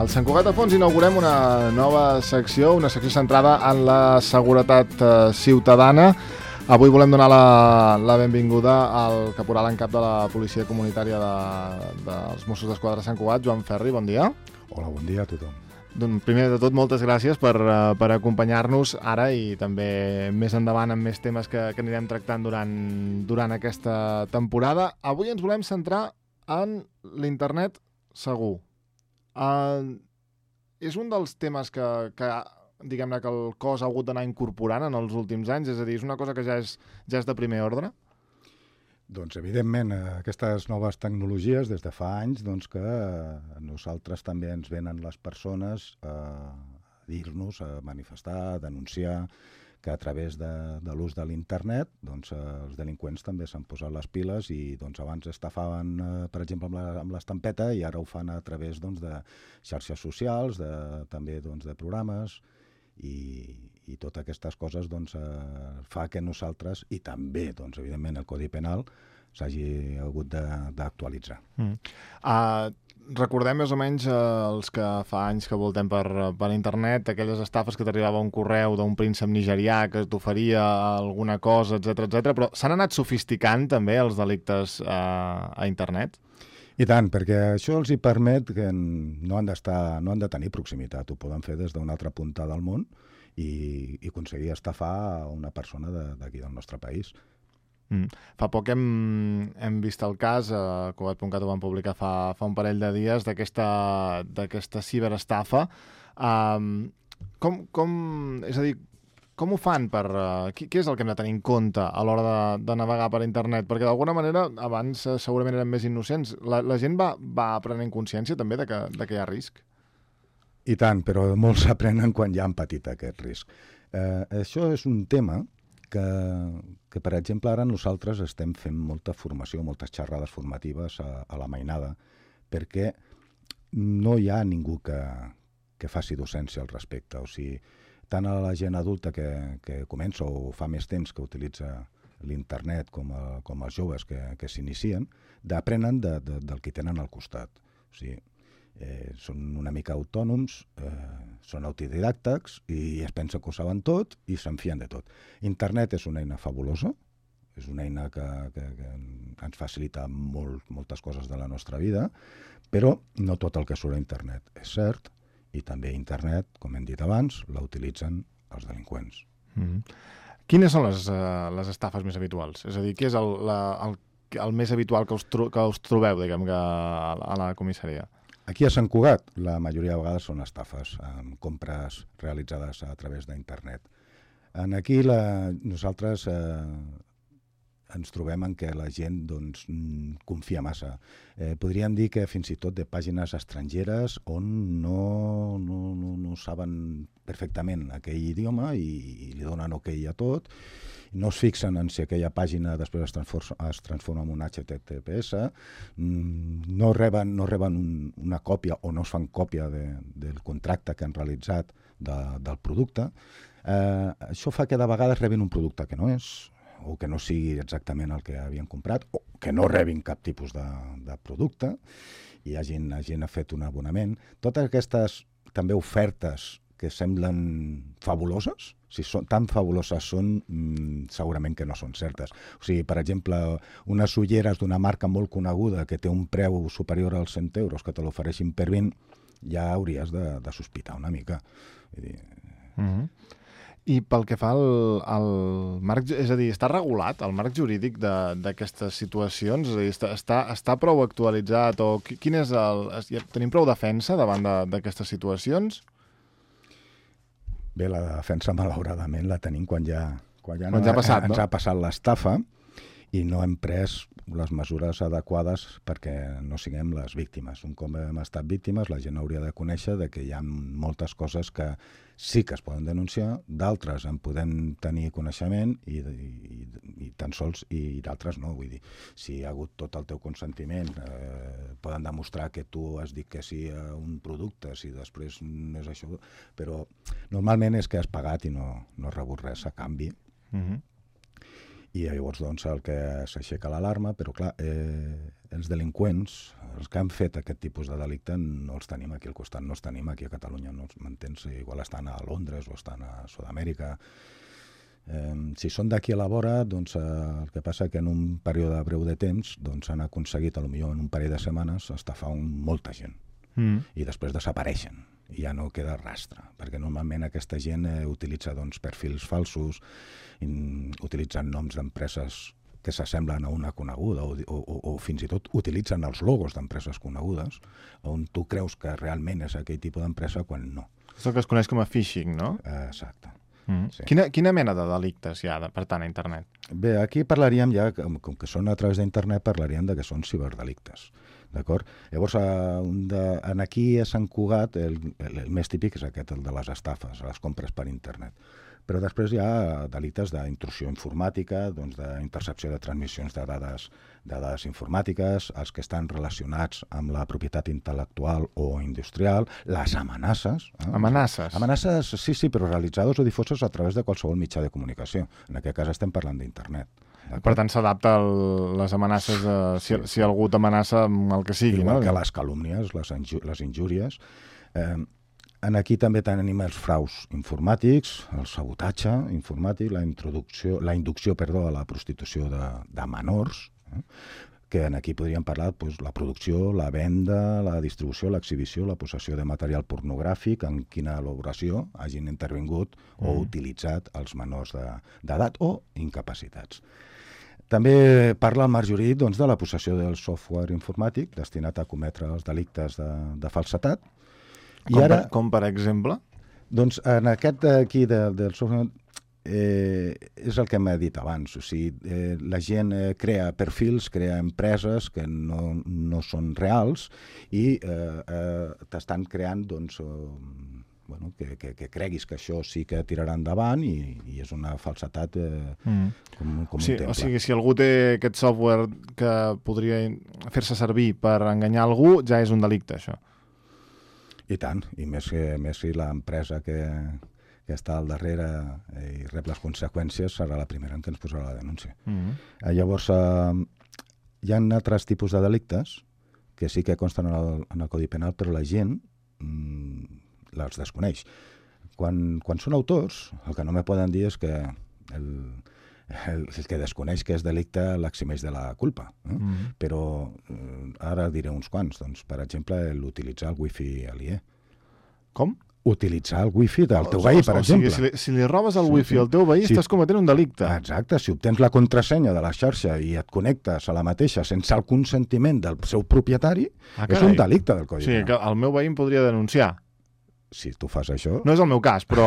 Al Sant Cugat de Fons inaugurem una nova secció, una secció centrada en la seguretat ciutadana. Avui volem donar la benvinguda al caporal en cap de la Policia Comunitària dels Mossos d'Esquadra de Sant Cugat, Joan Ferri, bon dia. Hola, bon dia a tothom. Doncs primer de tot, moltes gràcies per acompanyar-nos ara i també més endavant amb més temes que anirem tractant durant aquesta temporada. Avui ens volem centrar en l'internet segur. És un dels temes que diguem-ne que el cos ha hagut d'anar incorporant en els últims anys, és a dir, és una cosa que ja és de primer ordre? Doncs, evidentment, aquestes noves tecnologies, des de fa anys, doncs que nosaltres també ens venen les persones a dir-nos, a manifestar, a denunciar que a través de l'ús de l'internet doncs, els delinqüents també s'han posat les piles i doncs, abans estafaven, per exemple, amb l'estampeta i ara ho fan a través doncs, de xarxes socials, també doncs, de programes i totes aquestes coses doncs, fa que nosaltres, i també, doncs, evidentment, el Codi Penal s'hagi hagut d'actualitzar. Recordem més o menys els que fa anys que voltem per internet, aquelles estafes que t'arribava un correu d'un príncep nigerià que t'oferia alguna cosa, etc. Però s'han anat sofisticant també els delictes a internet? I tant, perquè això els hi permet que no han de tenir proximitat, ho poden fer des d'una altra punta del món i aconseguir estafar una persona d'aquí del nostre país. Fa poc hem vist el cas, a Cugat.cat ho van publicar fa un parell de dies, d'aquesta ciberestafa. És a dir, com ho fan? Què és el que hem de tenir en compte a l'hora de navegar per internet? Perquè d'alguna manera, abans segurament eren més innocents. La gent va prenent consciència també de que hi ha risc? I tant, però molts aprenen quan ja han patit aquest risc. Això és un tema que, per exemple, ara nosaltres estem fent molta formació, moltes xerrades formatives a la mainada, perquè no hi ha ningú que faci docència al respecte. O sigui, tant a la gent adulta que comença o fa més temps que utilitza l'internet com els joves que s'inicien, aprenen del que tenen al costat. O sigui, són una mica autònoms, són autodidàctics i es pensen que ho saben tot i se'n fien de tot. Internet és una eina fabulosa, és una eina que ens facilita moltes coses de la nostra vida, però no tot el que surt a internet és cert i també internet, com hem dit abans, la utilitzen els delinqüents. Quines són les estafes més habituals? És a dir, què és el més habitual que us trobeu, diguem, a la comissaria? Aquí a Sant Cugat, la majoria de vegades són estafes, amb compres realitzades a través d'internet. Aquí nosaltres ens trobem en què la gent doncs, confia massa. Podríem dir que fins i tot de pàgines estrangeres on no saben perfectament aquell idioma i li donen ok a tot, no es fixen en si aquella pàgina després es transforma en un HTTPS, no reben una còpia o no es fan còpia del contracte que han realitzat del producte. Això fa que de vegades rebin un producte que no és, o que no sigui exactament el que havien comprat, o que no rebin cap tipus de producte, i hagin fet un abonament. Totes aquestes també ofertes que semblen fabuloses, si són tan fabuloses són, segurament que no són certes. O sigui, per exemple, unes ulleres d'una marca molt coneguda que té un preu superior als 100 euros que te l'ofereixin per 20, ja hauries de sospitar una mica. I pel que fa al marc, és a dir, està regulat el marc jurídic d'aquestes situacions? És a dir, està prou actualitzat? O quin és tenim prou defensa davant d'aquestes situacions? Bé, la defensa, malauradament, la tenim quan ja ha passat, ens ha passat l'estafa i no hem pres les mesures adequades perquè no siguem les víctimes. Un cop hem estat víctimes, la gent hauria de conèixer de que hi ha moltes coses que sí que es poden denunciar, d'altres en podem tenir coneixement i tan sols, i d'altres no. Vull dir, si hi ha hagut tot el teu consentiment, poden demostrar que tu has dit que sí a un producte, si després no és això, però normalment és que has pagat i no has rebut res a canvi. I llavors doncs el que s'aixeca l'alarma, però clar, els delinqüents, els que han fet aquest tipus de delicte no els tenim aquí al costat, no els tenim aquí a Catalunya, no m'entens? Igual estan a Londres o estan a Sud-amèrica. Si són d'aquí a la vora, doncs el que passa que en un període breu de temps doncs, han aconseguit, potser en un parell de setmanes, estafar molta gent. I després desapareixen i ja no queda rastre, perquè normalment aquesta gent utilitza doncs, perfils falsos, utilitzen noms d'empreses que s'assemblen a una coneguda o fins i tot utilitzen els logos d'empreses conegudes on tu creus que realment és aquell tipus d'empresa quan no. És el que es coneix com a phishing, no? Exacte. Sí. Quina mena de delictes hi ha, per tant, a internet? Bé, aquí parlaríem ja, com que són a través d'internet, parlaríem de que són ciberdelictes. D'acord? Llavors, aquí a Sant Cugat, el més típic és aquest, el de les estafes, les compres per internet. Però després hi ha delictes d'intrusió informàtica, doncs d'intercepció de transmissions de dades informàtiques, els que estan relacionats amb la propietat intel·lectual o industrial, les amenaces. Amenaces? Amenaces, sí, però realitzades o difoses a través de qualsevol mitjà de comunicació. En aquest cas estem parlant d'internet. Per tant, s'adapta a les amenaces, si algú t'amenaça amb el que sigui. Igual que les calúmnies, les injúries. Aquí també tenim els fraus informàtics, el sabotatge informàtic, la inducció a la prostitució de menors, que aquí podríem parlar la producció, la venda, la distribució, l'exhibició, la possessió de material pornogràfic, en quina elaboració hagin intervingut o utilitzat els menors d'edat o incapacitats. També parla el marc jurídic de la possessió del software informàtic destinat a cometre els delictes de falsetat. Com per exemple? Doncs en aquest d'aquí del software és el que m'he dit abans. O sigui, la gent crea perfils, crea empreses que no són reals i t'estan creant que creguis que això sí que tirarà endavant i és una falsetat com un temple. O sigui, si algú té aquest software que podria fer-se servir per enganyar algú, ja és un delicte, això. I tant, i més si l'empresa que està al darrere i rep les conseqüències serà la primera en què ens posarà la denúncia. Llavors, hi ha altres tipus de delictes que sí que consten en el Codi Penal, però la gent les desconeix. Quan són autors, el que no me poden dir és que el que desconeix que és delicte l'eximeix de la culpa. Però ara diré uns quants. Doncs, per exemple, l'utilitzar el wifi aliè. Com? Utilitzar el wifi del teu veí, per exemple. O sigui, si li robes el wifi al teu veí, estàs cometent un delicte. Exacte, si obtens la contrasenya de la xarxa i et connectes a la mateixa sense el consentiment del seu propietari, és un delicte del Codi Penal. O sigui, que el meu veí em podria denunciar. Si tu fas això... No és el meu cas, però...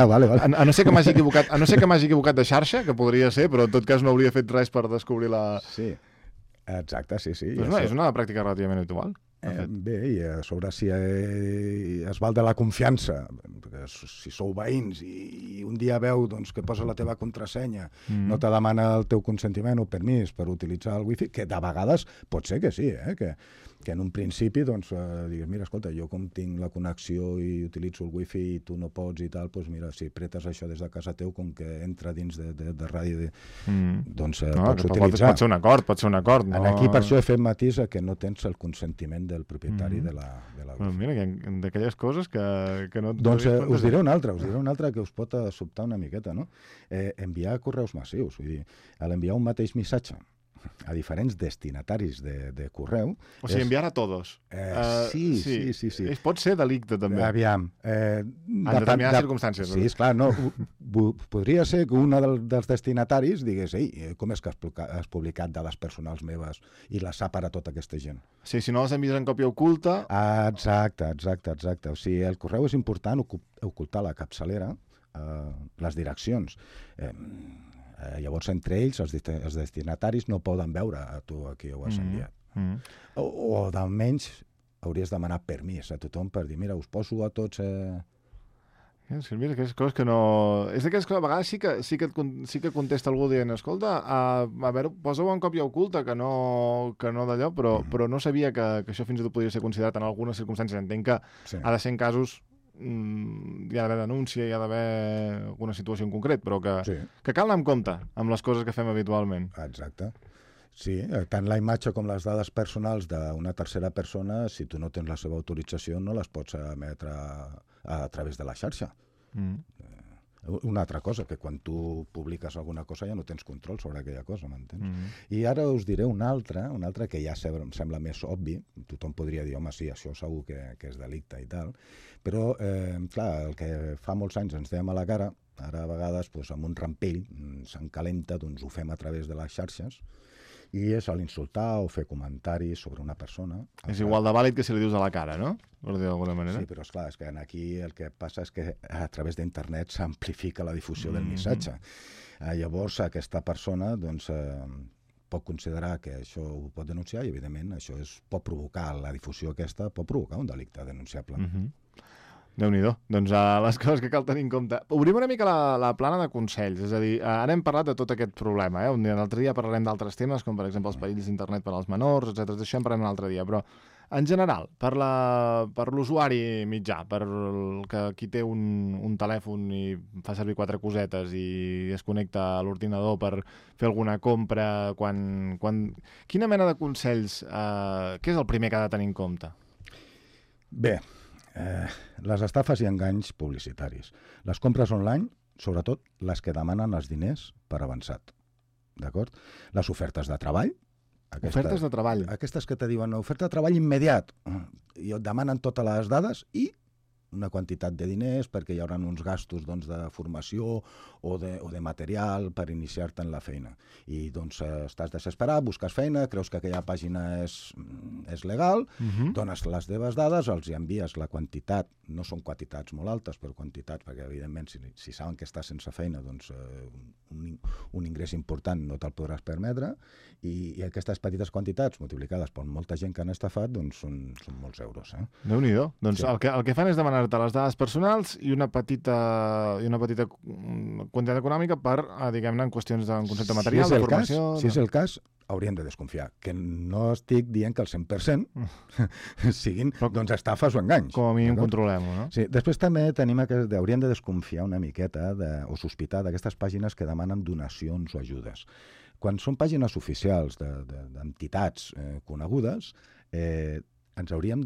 vale. A no ser que m'hagi equivocat de xarxa, que podria ser, però en tot cas no hauria fet res per descobrir la... Sí, exacte, sí. Però és una pràctica relativament habitual. Bé, i a sobre si es val de la confiança, perquè si sou veïns i un dia veu que posa la teva contrasenya, no te demana el teu consentiment o permís per utilitzar el wifi, que de vegades pot ser que sí, que en un principi digues, mira, escolta, jo com tinc la connexió i utilitzo el wifi i tu no pots i tal, doncs mira, si pretes això des de casa teu, com que entra dins de ràdio, doncs pots utilitzar. Pot ser un acord. Aquí per això he fet matís que no tens el consentiment del propietari de la wifi. Mira, d'aquelles coses que no... Doncs us diré una altra que us pot sobtar una miqueta, no? Enviar correus massius, vull dir, a l'enviar un mateix missatge a diferents destinataris de correu... O sigui, enviar a tots. Sí. Pot ser delicte, també. Aviam. En determinades circumstàncies. Sí, esclar, no. Podria ser que un dels destinataris digués, com és que has publicat dades personals meves i les ha per a tota aquesta gent? Sí, si no les envies en còpia oculta... Exacte. O sigui, el correu és important ocultar la capçalera, les direccions. Llavors, entre ells, els destinataris no poden veure a tu a qui ho has enviat. O d'almenys hauries de demanar permís a tothom per dir, mira, us poso a tots... És que mira, aquestes coses que no... És d'aquelles coses, a vegades sí que contesta algú dient, escolta, a veure, posa-ho en còpia oculta, que no d'allò, però no sabia que això fins i tot podia ser considerat en algunes circumstàncies. Entenc que ha de ser en casos hi ha d'haver denúncia, hi ha d'haver alguna situació en concret, però que cal anar amb compte amb les coses que fem habitualment. Exacte. Sí, tant la imatge com les dades personals d'una tercera persona, si tu no tens la seva autorització, no les pots emetre a través de la xarxa. Una altra cosa, que quan tu publiques alguna cosa ja no tens control sobre aquella cosa, m'entens? I ara us diré una altra que ja em sembla més obvi, tothom podria dir, home, sí, això segur que és delicte i tal, però, clar, el que fa molts anys ens dèiem a la cara, ara a vegades, amb un rampell, s'encalenta, doncs ho fem a través de les xarxes, i és l'insultar o fer comentaris sobre una persona. És igual de vàlid que si li dius a la cara, no? Per dir d'alguna manera. Sí, però esclar, és que aquí el que passa és que a través d'internet s'amplifica la difusió del missatge. Llavors, aquesta persona doncs, pot considerar que això ho pot denunciar i, evidentment, això pot provocar, la difusió aquesta pot provocar un delicte denunciable. Déu-n'hi-do. Doncs les coses que cal tenir en compte. Obrim una mica la plana de consells, és a dir, ara hem parlat de tot aquest problema, un altre dia parlarem d'altres temes, com per exemple els perills d'internet per als menors, etc. D'això en parlarem un altre dia, però en general, per l'usuari mitjà, per qui té un telèfon i fa servir 4 cosetes i es connecta a l'ordinador per fer alguna compra, quina mena de consells, què és el primer que ha de tenir en compte? Bé, les estafes i enganys publicitaris. Les compres online, sobretot les que demanen els diners per avançat. D'acord? Les ofertes de treball. Ofertes de treball. Aquestes que te diuen oferta de treball immediat i et demanen totes les dades i una quantitat de diners perquè hi haurà uns gastos de formació o de material per iniciar-te en la feina. I doncs estàs desesperat, busques feina, creus que aquella pàgina és legal, dones les teves dades, els envies la quantitat, no són quantitats molt altes, però quantitats, perquè evidentment si saben que estàs sense feina, doncs un ingrés important no te'l podràs permetre, i aquestes petites quantitats multiplicades per molta gent que han estafat, doncs són molts euros. Déu-n'hi-do. Doncs el que fan és demanar-te les dades personals i una petita quantitat econòmica per, diguem-ne, en qüestions de concepte material, de formació... Si és el cas, hauríem de desconfiar. Que no estic dient que el 100% siguin estafes o enganys. Com a mínim controlem-ho, no? Sí. Després també hauríem de desconfiar una miqueta o sospitar d'aquestes pàgines que demanen donacions o ajudes. Quan són pàgines oficials d'entitats conegudes, ens hauríem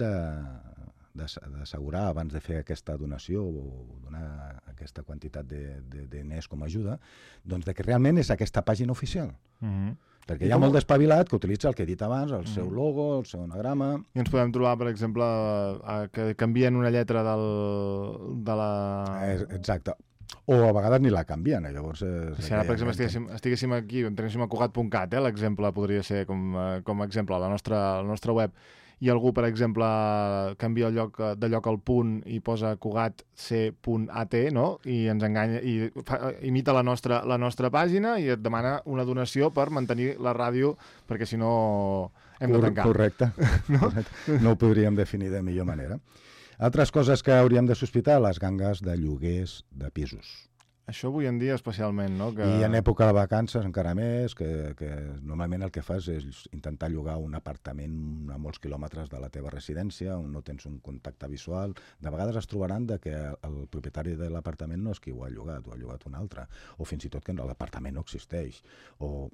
d'assegurar abans de fer aquesta donació o donar aquesta quantitat de diners com a ajuda, doncs que realment és aquesta pàgina oficial. Perquè hi ha molt d'espavilat que utilitza el que he dit abans, el seu logo, el seu anagrama... I ens podem trobar, per exemple, que canvien una lletra de la... Exacte. O a vegades ni la canvien, llavors... Si ara, per exemple, estiguéssim aquí, entréssim a Cugat.cat, l'exemple podria ser com a exemple, a la nostra web, i algú, per exemple, canvia de lloc al punt i posa cugatc.at, no? I ens enganya, i imita la nostra pàgina i et demana una donació per mantenir la ràdio, perquè si no hem de tancar. Correcte. No ho podríem definir de millor manera. Altres coses que hauríem de sospitar, les gangues de lloguers de pisos. Això avui en dia especialment, no? I en època de vacances encara més, que normalment el que fas és intentar llogar un apartament a molts quilòmetres de la teva residència, on no tens un contacte visual. De vegades es trobaran que el propietari de l'apartament no és qui ho ha llogat un altre, o fins i tot que l'apartament no existeix, o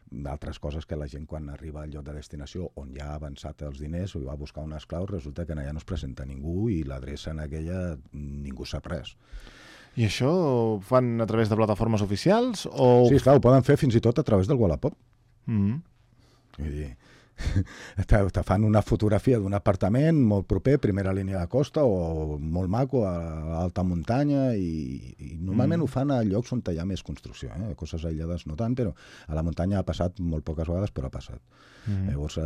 d'altres coses que la gent quan arriba al lloc de destinació on ja ha avançat els diners o va buscar unes claus, resulta que allà no es presenta ningú i l'adreça en aquella ningú sap res. I això ho fan a través de plataformes oficials? Sí, esclar, ho poden fer fins i tot a través del Wallapop. Vull dir, te fan una fotografia d'un apartament molt proper, primera línia de costa, o molt maco, a alta muntanya, i normalment ho fan a llocs on hi ha més construcció. Coses aïllades no tant, però a la muntanya ha passat molt poques vegades, però ha passat. Llavors,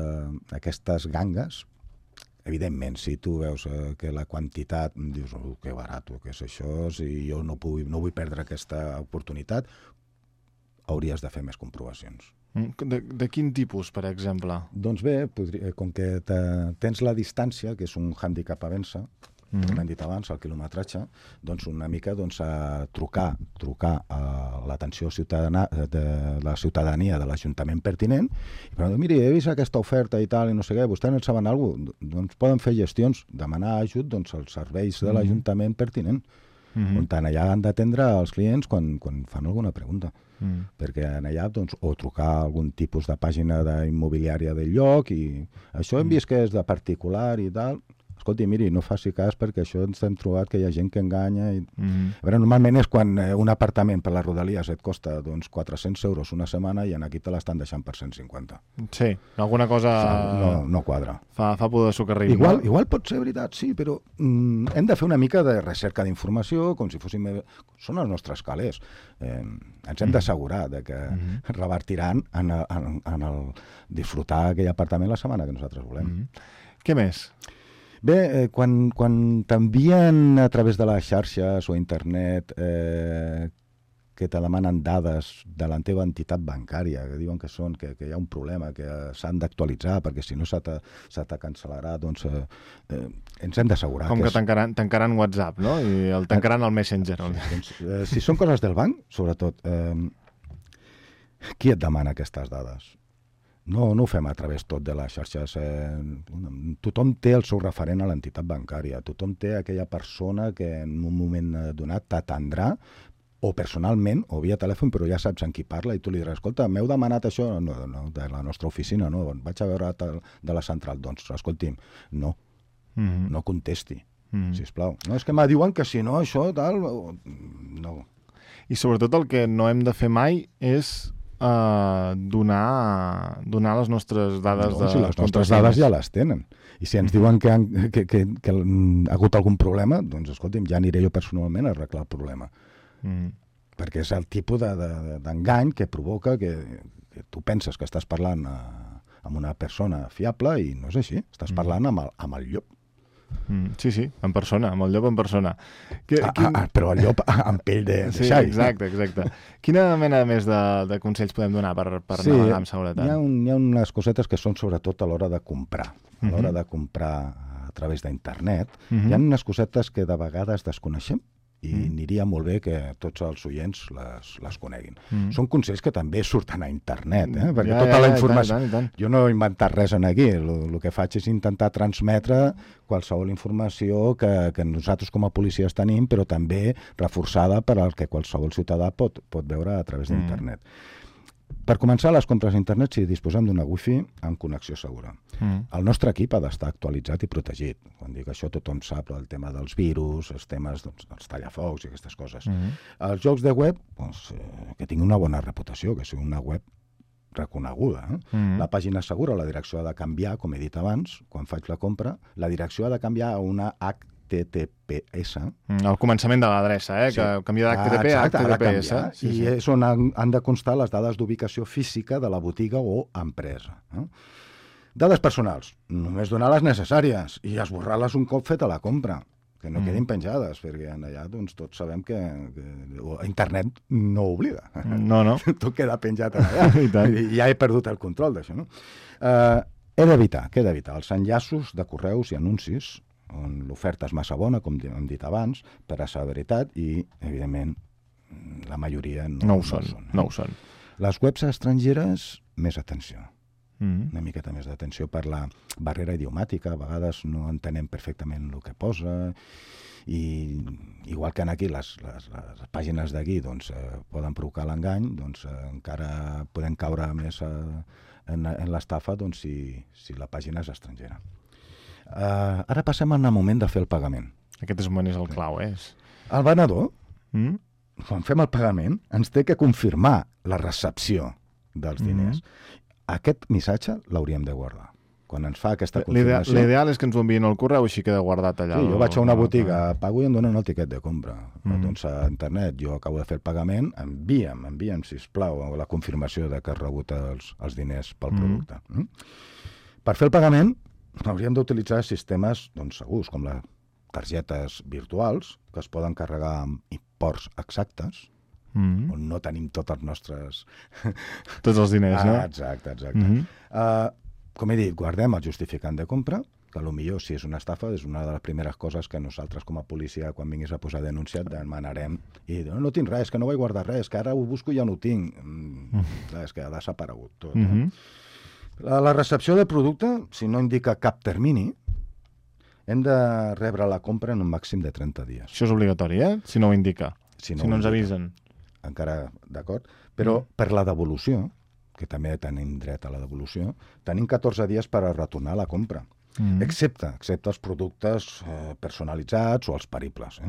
aquestes gangues, evidentment, si tu veus que la quantitat, dius, que barat, què és això, si jo no vull perdre aquesta oportunitat, hauries de fer més comprovacions. De quin tipus, per exemple? Doncs bé, com que tens la distància, que és un hàndicap a vèncer, com hem dit abans, el quilometratge, doncs una mica a trucar a l'atenció de la ciutadania de l'Ajuntament pertinent, i per dir, miri, he vist aquesta oferta i tal, i no sé què, vostès en saben alguna cosa? Doncs poden fer gestions, demanar ajut als serveis de l'Ajuntament pertinent, on allà han d'atendre els clients quan fan alguna pregunta. Perquè allà, o trucar a algun tipus de pàgina d'immobiliària del lloc, i això hem vist que és de particular i tal. Escolti, miri, no faci cas perquè això ens hem trobat que hi ha gent que enganya. A veure, normalment és quan un apartament per les Rodalies et costa 400 euros una setmana i aquí te l'estan deixant per 150. Sí, alguna cosa... No quadra. Fa por de socarrim. Igual pot ser veritat, sí, però hem de fer una mica de recerca d'informació, com si fóssim... Són els nostres calés. Ens hem d'assegurar que revertiran en el disfrutar aquell apartament la setmana que nosaltres volem. Què més? Bé, quan t'envien a través de les xarxes o internet que te demanen dades de la teva entitat bancària, que diuen que hi ha un problema, que s'han d'actualitzar perquè si no se te cancel·larà, doncs ens hem d'assegurar. Com que tancaran WhatsApp, no? I el tancaran al Messenger. Si són coses del banc, sobretot, qui et demana aquestes dades? No ho fem a través tot de les xarxes. Tothom té el seu referent a l'entitat bancària. Tothom té aquella persona que en un moment donat t'atendrà o personalment o via telèfon, però ja saps en qui parla i tu li diràs, escolta, m'heu demanat això? No, de la nostra oficina, no. Vaig a veure de la central. Doncs, escolti'm, no contesti, sisplau. No, és que me diuen que si no, això, tal... No. I sobretot el que no hem de fer mai és donar les nostres dades de... Si les nostres dades ja les tenen. I si ens diuen que ha hagut algun problema, doncs, escolti'm, ja aniré jo personalment a arreglar el problema. Perquè és el tipus d'engany que provoca que tu penses que estàs parlant amb una persona fiable i no és així. Estàs parlant amb el llop. Sí, en persona, amb el llop en persona. Però el llop amb pell de xai. Exacte. Quina mena més de consells podem donar per navegar amb seguretat? Hi ha unes cosetes que són sobretot a l'hora de comprar. A l'hora de comprar a través d'internet. Hi ha unes cosetes que de vegades desconeixem i aniria molt bé que tots els oients les coneguin. Són consells que també surten a internet, perquè tota la informació... Tant. Jo no he inventat res aquí, el que faig és intentar transmetre qualsevol informació que nosaltres com a policies tenim, però també reforçada per al que qualsevol ciutadà pot veure a través d'internet. Per començar, les compres a internet, si disposem d'una wifi amb connexió segura. El nostre equip ha d'estar actualitzat i protegit. Quan dic això, tothom sap el tema dels virus, els temes dels tallafocs i aquestes coses. Els jocs de web, que tinguin una bona reputació, que sigui una web reconeguda. La pàgina segura, la direcció ha de canviar, com he dit abans, quan faig la compra, la direcció ha de canviar a una HTTPS. Al començament de l'adreça, que canvia d'HTTP a HTTPS. I és on han de constar les dades d'ubicació física de la botiga o empresa. Dades personals, només donar les necessàries i esborrar-les un cop feta la compra, que no quedin penjades, perquè allà tots sabem que internet no oblida. No. Tot queda penjat allà. I ja he perdut el control d'això. Què he d'evitar els enllaços de correus i anuncis on l'oferta és massa bona, com hem dit abans, per a la veritat, i, evidentment, la majoria no ho són. Les webs estrangeres, més atenció. Una miqueta més d'atenció per la barrera idiomàtica. A vegades no entenem perfectament el que posa, i igual que aquí les pàgines d'aquí poden provocar l'engany, encara podem caure més en l'estafa si la pàgina és estrangera. Ara passem al moment de fer el pagament. Aquest moment és el clau, El venedor, quan fem el pagament, ens té que confirmar la recepció dels diners. Aquest missatge l'hauríem de guardar. Quan ens fa aquesta confirmació... L'ideal és que ens ho enviïn al correu, així queda guardat allà. Sí, jo vaig a una botiga, pago i em donen el tiquet de compra. Doncs a internet, jo acabo de fer el pagament, envia'm, sisplau, la confirmació de que has rebut els diners pel producte. Per fer el pagament, hauríem d'utilitzar sistemes segurs, com les targetes virtuals, que es poden carregar amb imports exactes, on no tenim tots els nostres... Tots els diners, no? Exacte. Com he dit, guardem el justificant de compra, que potser si és una estafa és una de les primeres coses que nosaltres com a policia, quan vinguis a posar denúncia, demanarem. I no tinc res, que no vaig guardar res, que ara ho busco i ja no ho tinc. Clar, és que ha desaparegut tot. La recepció del producte, si no indica cap termini, hem de rebre la compra en un màxim de 30 dies. Això és obligatori, Si no ho indica. Si no ens avisen. Encara, d'acord? Però per la devolució, que també tenim dret a la devolució, tenim 14 dies per a retornar la compra, excepte els productes personalitzats o els peribles.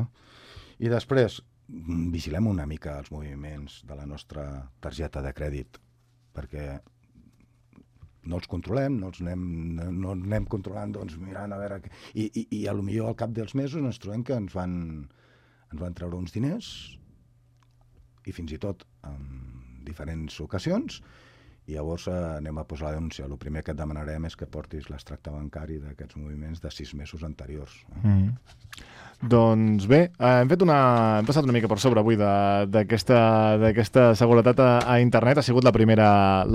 I després vigilem una mica els moviments de la nostra targeta de crèdit, perquè no els controlem, no anem controlant, doncs mirant a veure... I potser al cap dels mesos ens trobem que ens van treure uns diners, i fins i tot en diferents ocasions, i llavors anem a posar la denúncia. El primer que et demanarem és que portis l'extracte bancari d'aquests moviments de 6 mesos anteriors. Doncs bé, hem passat una mica per sobre avui d'aquesta seguretat a internet. Ha sigut la primera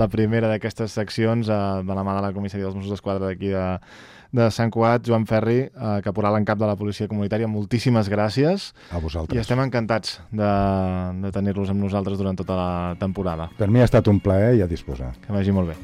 d'aquestes seccions de la mà de la comissaria dels Mossos d'Esquadra d'aquí de Sant Cugat. Joan Ferri, caporal en cap de la policia comunitària, moltíssimes gràcies. A vosaltres. I estem encantats de tenir-los amb nosaltres durant tota la temporada. Per mi ha estat un plaer i a disposar. Que vagi molt bé.